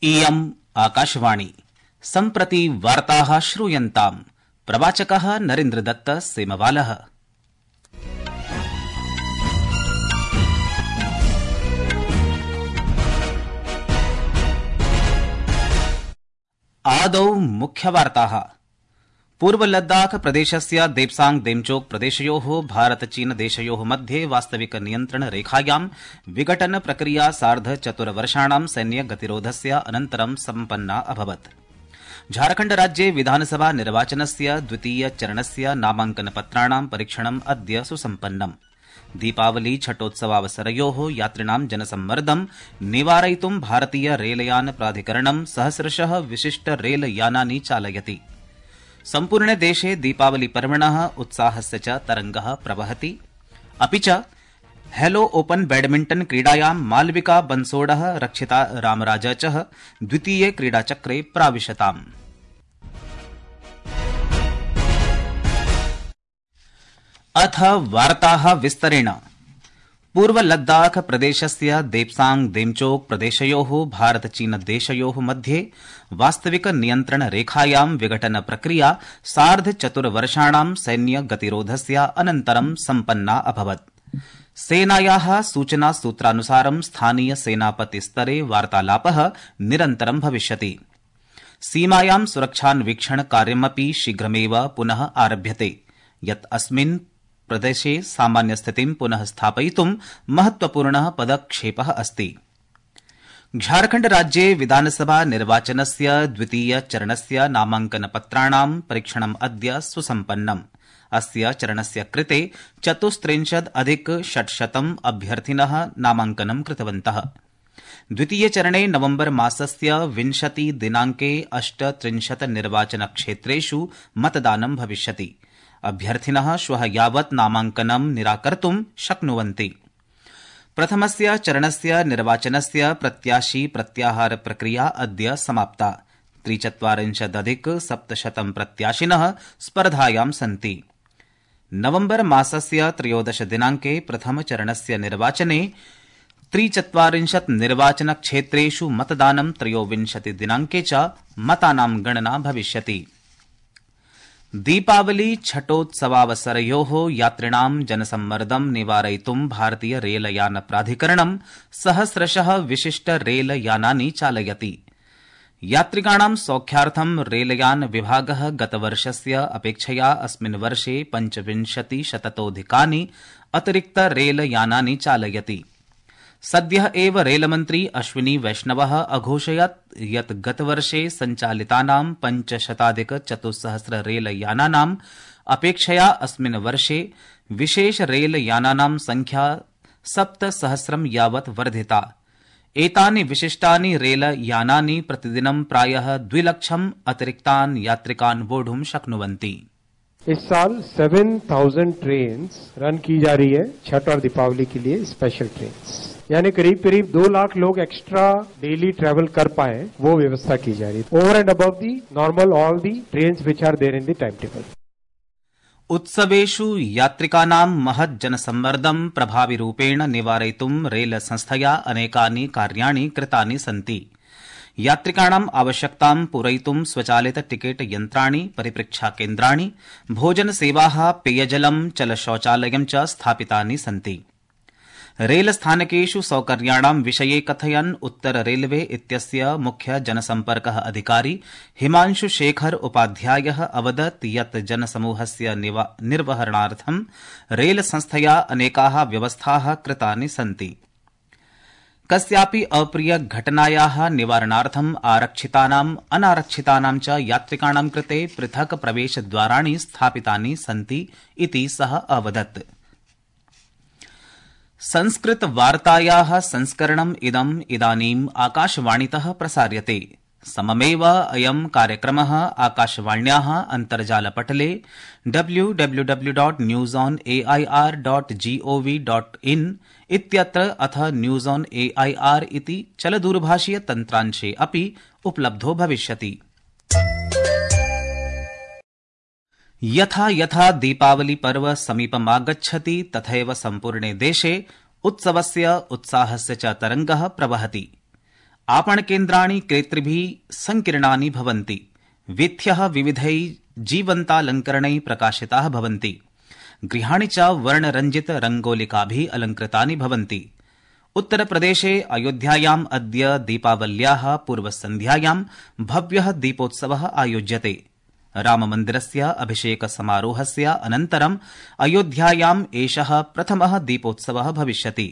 इयम् आकाशवाणी सम्प्रति वार्ताः श्रूयन्ताम्। प्रवाचकः नरेन्द्रदत्त सेमवालः। आदौ मुख्यवार्ताः। पूर्व लद्दाख प्रदेशस्य देप्सांग देमचोक प्रदेशयोः भारत चीन देशयोः मध्ये वास्तविक नियन्त्रण रेखायां विघटन प्रक्रिया सार्ध चतुर्वर्षाणां सैन्य गतिरोधस्य अनन्तरं सम्पन्ना अभवत्। झारखण्ड राज्ये विधानसभा निर्वाचनस्य द्वितीय चरणस्य नामांकन पत्राणां परीक्षणम् अद्य सुसम्पन्नम्। दीपावली छठोत्सवावसरयोः यात्रिणां जनसम्मर्दं निवारयितुं भारतीय रेलयान प्राधिकरणं सहस्रशः विशिष्ट रेलयानानि चालयति। सम्पूर्णे देशे दीपावली पर्वणः उत्साहस्य च तरंगः प्रवहति। अपि च हेलो ओपन बैडमिंटन क्रीडायां मालविका बंसोडः रक्षिता रामराज च द्वितीये क्रीडाचक्रे प्राविशताम्। अथ वार्ताः विस्तरेण। पूर्व लद्दाख प्रदेशस्य देप्सांग देमचोक प्रदेशयोः भारत चीन देशयोः मध्ये वास्तविक नियन्त्रण रेखायां विघटन प्रक्रिया सार्ध चतुर्वर्षाणां सैन्य गतिरोधस्य अनन्तरं सम्पन्ना अभवत्। सेनायाः सूचना सूत्रानुसारं स्थानीय सेनापति स्तरे वार्तालापः निरन्तरं भविष्यति। सीमायां सुरक्षान्वीक्षण कार्यमपि शीघ्रमेव पुनः आरभ्यते, यत् अस्मिन् प्रदेशे सामान्य स्थितिं पुनः स्थापयितुं महत्वपूर्णः पदक्षेपः अस्ति। झारखण्ड राज्ये विधानसभा निर्वाचनस्य द्वितीय चरणस्य नामांकन पत्राणां परीक्षणम् अद्य सुसम्पन्नम्। अस्य चरणस्य कृते 34,600 अभ्यर्थिनः नामांकनं कृतवन्तः। द्वितीय चरणे नवम्बर मासस्य 20 दिनाङ्के 38 निर्वाचनक्षेत्रेषु मतदानं भविष्यति। अभ्यर्थिनः श्वः यावत् नामांकनं निराकर्तुं शक्नुवन्ति। प्रथमस्य चरणस्य निर्वाचनस्य प्रत्याशी प्रत्याहार प्रक्रिया अद्य समाप्ता। 43,700 प्रत्याशिनः स्पर्धायां सन्ति। नवम्बर मासस्य 13 दिनाङ्के प्रथम चरणस्य निर्वाचने 43 निर्वाचनक्षेत्रेषु मतदानं 23 दिनाङ्के च मतानां गणना भविष्यति। दीपावली छठोत्सवावसरयोः यात्रिणां जनसम्मर्दं निवारयितुं भारतीय रेलयान प्राधिकरणं सहस्रशः विशिष्ट रेलयानानि चालयति। यात्रिकाणां सौख्यार्थं रेलयान विभागः गतवर्षस्य अपेक्षया अस्मिन् वर्षे 25,000 अतिरिक्त रेलयानानि चालयति। सद्यः एव रेलमन्त्री अश्विनी वैष्णवः अघोषयत् यत् गतवर्षे सञ्चालितानां 5,400 रेलयानानाम् अपेक्षया अस्मिन् वर्षे विशेष रेलयानानां संख्या 7,000 यावत् वर्धिता। एतानि विशिष्टानि रेलयानानि प्रतिदिनं प्रायः 2,00,000 अतिरिक्तान् यात्रिकान् वोढुं शक्नुवन्ति। इस साल 7,000 ट्रेन रन की जा रही है छठ और दीपावली के लिए स्पेशल ट्रेन, यानी करीब करीब 2 लाख लोग एक्स्ट्रा डेली ट्रेवल कर पाए, वो व्यवस्था की जा रही है। Over and above the normal all the trains which are there in the time table. उत्सवेषु यात्रिकानां महत् जनसम्मर्दं प्रभाविरूपेण निवारयितुं रेल संस्थया अनेकानि कार्याणि कृतानि सन्ति। यात्रिकाणाम् आवश्यकतां पूरयितुं स्वचालित टिकेट यन्त्राणि, परिपृच्छा केन्द्राणि, भोजनसेवाः, पेयजलं, चलशौचालयं च स्थापितानि सन्ति। रेलस्थानकेषु सौकर्याणां विषये कथयन् उत्तर रेलवे इत्यस्य मुख्य जनसम्पर्कः अधिकारी हिमांशु शेखर उपाध्यायः अवदत् यत् जनसमूहस्य निर्वहणार्थं रेलसंस्थया अनेकाः व्यवस्थाः कृतानि सन्ति। कस्यापि अप्रिय घटनायाः निवारणार्थं आरक्षितानाम् अनारक्षितानां च यात्रिकाणां कृते पृथक् प्रवेशद्वाराणि स्थापितानि सन्ति इति सः अवदत्। संस्कृत वार्तायाः संस्करणम् इदानीम् आकाशवाणीतः प्रसार्यते। सममेव अयं कार्यक्रमः आकाशवाण्याः अन्तर्जालपटले www.newsonair.gov.in इत्यत्र अथ न्यूज ऑन एआईआर इति चलदूरभाषीय तन्त्रांशे अपि उपलब्धो भविष्यति। यथा यथा दीपावली पर्व समीपमागच्छति तथैव सम्पूर्णे देशे उत्सवस्य उत्साहस्य च तरंगः प्रवहति। आपणकेन्द्राणि क्रेतृभिः संकीर्णानि भवन्ति। वीथ्यः विविधैः जीवन्तालङ्करणैः प्रकाशिताः भवन्ति। गृहाणि च वर्णरञ्जित रङ्गोलिकाभिः अलङ्कृतानि भवन्ति। उत्तरप्रदेशे अयोध्यायाम् अद्य दीपावल्याः पूर्वसन्ध्यायां भव्यः दीपोत्सवः आयोज्यते। राममन्दिरस्य अभिषेकसमारोहस्य अनन्तरम् अयोध्यायाम् एषः प्रथमः दीपोत्सवः भविष्यति।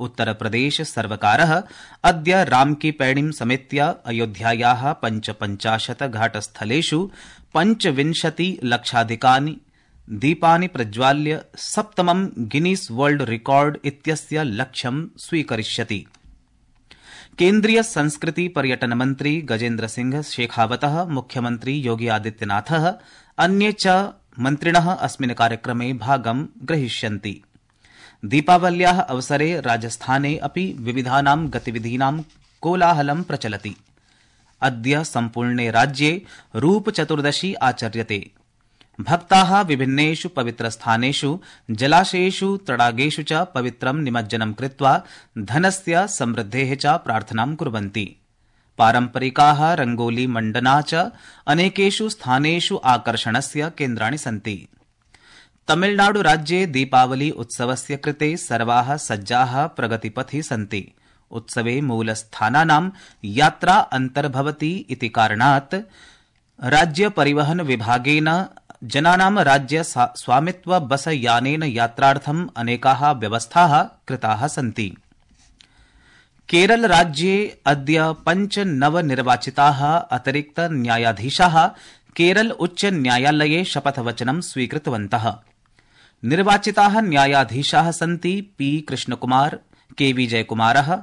उत्तरप्रदेश सर्वकारः अद्य रामकी पैड़ीं समेत्य अयोध्यायाः 55 घाटस्थलेषु 25 लक्षाधिकानि दीपानि प्रज्वाल्य सप्तमं गिनीस् वर्ल्ड रिकॉर्ड इत्यस्य लक्ष्यं स्वीकरिष्यति। केन्द्रीय संस्कृति पर्यटन मन्त्री गजेन्द्र सिंह शेखावतः, मुख्यमन्त्री योगी आदित्यनाथः, अन्ये च मन्त्रिणः अस्मिन् कार्यक्रमे भागं ग्रहीष्यन्ति। दीपावल्याः अवसरे राजस्थाने अपि विविधानां गतिविधीनां कोलाहलं प्रचलति। अद्य सम्पूर्णे राज्ये रूपचतुर्दशी आचर्यते। भक्ताः विभिन्नेषु पवित्रस्थानेषु जलाशयेषु तडागेषु च पवित्रं निमज्जनं कृत्वा धनस्य समृद्धेः च प्रार्थनां कुर्वन्ति। पारम्परिकाः रंगोली मण्डना च अनेकेषु स्थानेषु आकर्षणस्य केन्द्राणि सन्ति। तमिलनाडु राज्ये दीपावली उत्सवस्य कृते सर्वाः सज्जाः प्रगतिपथि सन्ति। उत्सवे मूलस्थानानां यात्रा अन्तर्भवति इति कारणात् राज्य परिवहन विभागेन जनानां राज्य स्वामित्व बस यानेन यात्रार्थम् अनेकाः व्यवस्थाः कृताः सन्ति। केरल राज्ये अद्य 5 नवनिर्वाचिताः अतिरिक्त न्यायाधीशाः केरल उच्च न्यायालये शपथवचनं स्वीकृतवन्तः। निर्वाचिताः न्यायाधीशाः सन्ति पी कृष्णकुमार, के विजयकुमारः,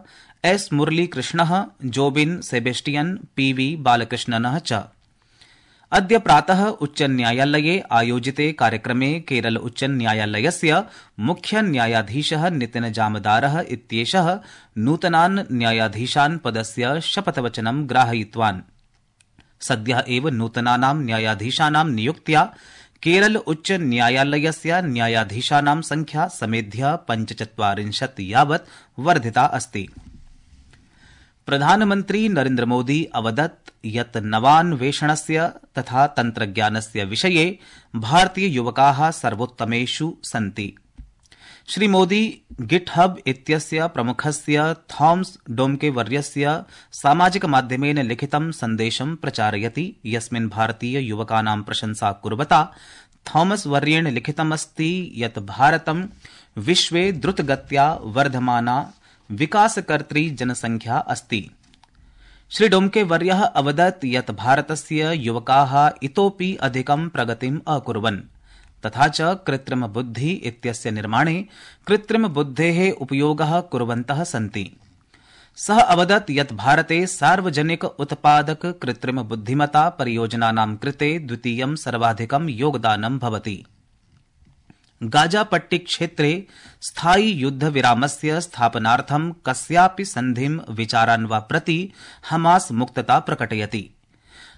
एस मुरलीकृष्णः, जोबिन सेबेस्टियन, पी वी बालकृष्णनः च। अद्य प्रातः उच्च न्यायालये आयोजिते कार्यक्रमे केरल उच्च न्यायालयस्य मुख्य न्यायाधीशः नितिन जामदारः इत्येषः नूतनान् न्यायाधीशान् पदस्य शपथवचनं ग्राहयितवान्। सद्यः एव नूतनानां न्यायाधीशानां नियुक्त्या केरल उच्च न्यायालयस्य न्यायाधीशानां संख्या समेध्य 45 यावत् वर्धिता अस्ति। प्रधानमन्त्री नरेन्द्र मोदी अवदत् यत् नवान्वेषणस्य तथा तन्त्रज्ञानस्य विषये भारतीय युवकाः सर्वोत्तमेषु सन्ति। श्री मोदी गिटहब इत्यस्य प्रमुखस्य थॉमस डोम्के वर्यस्य सामाजिकमाध्यमेन लिखितं सन्देशं प्रचारयति, यस्मिन् भारतीय युवकानां प्रशंसा कुर्वता थॉमस वर्येण लिखितमस्ति यत् भारतं विश्वे द्रुतगत्या वर्धमाना विकासकर्त्री जनसंख्या अस्ति। श्री डोम्के वर्यः अवदत् यत् भारतस्य युवकाः इतोपि अधिकं प्रगतिम् अकुर्वन् तथा च कृत्रिमबुद्धि इत्यस्य निर्माणे कृत्रिमबुद्धेः उपयोगः कुर्वन्तः सन्ति। सः अवदत् यत् भारते सार्वजनिक उत्पादक कृत्रिमबुद्धिमता परियोजनानां कृते द्वितीयं सर्वाधिकं योगदानं भवति। गाजापट्टी क्षेत्रे स्थायि युद्धविरामस्य स्थापनार्थं कस्यापि सन्धिं विचारान् वा प्रति हमास मुक्तता प्रकटयति।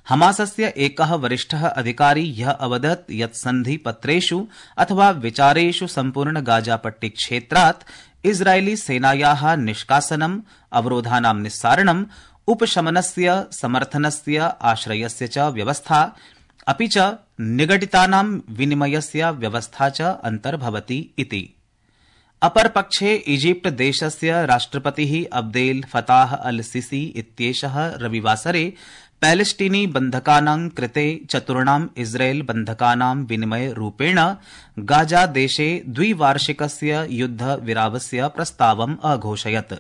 हमासस्य एकः वरिष्ठः अधिकारी यः अवदत् यत् सन्धिपत्रेषु अथवा विचारेषु सम्पूर्ण गाजापट्टी क्षेत्रात् इस्रायली सेनायाः निष्कासनम्, अवरोधानां निस्सारणम्, उपशमनस्य, समर्थनस्य, आश्रयस्य च व्यवस्था अपि च निगडितानां विनिमयस्य व्यवस्था च अन्तर्भवति इति। अपरपक्षे इजिप्ट देशस्य राष्ट्रपतिः अब्देल फताह अल सिसी इत्येषः रविवासरे पैलेस्टीनी बन्धकानां कृते 4 इस्राएल बन्धकानां विनिमय रूपेण गाजा देशे द्विवार्षिकस्य युद्धविरामस्य प्रस्तावम् अघोषयत्।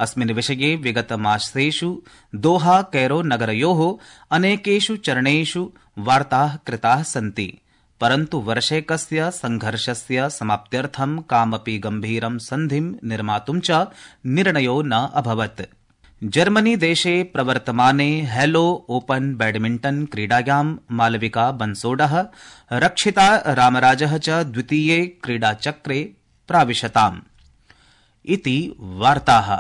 अस्मिन् विषये विगतमासेषु दोहा कैरो नगरयोः अनेकेषु चरणेषु वार्ताः कृताः सन्ति, परन्तु वर्षेकस्य संघर्षस्य समाप्त्यर्थं कामपि गम्भीरं सन्धिं निर्मातुं च निर्णयो न अभवत्। जर्मनी देशे प्रवर्तमाने हेलो ओपन बैडमिण्टन क्रीडायां मालविका बन्सोडः, रक्षिता रामराजः च द्वितीये क्रीडाचक्रे प्राविशताम् इति वार्ताः।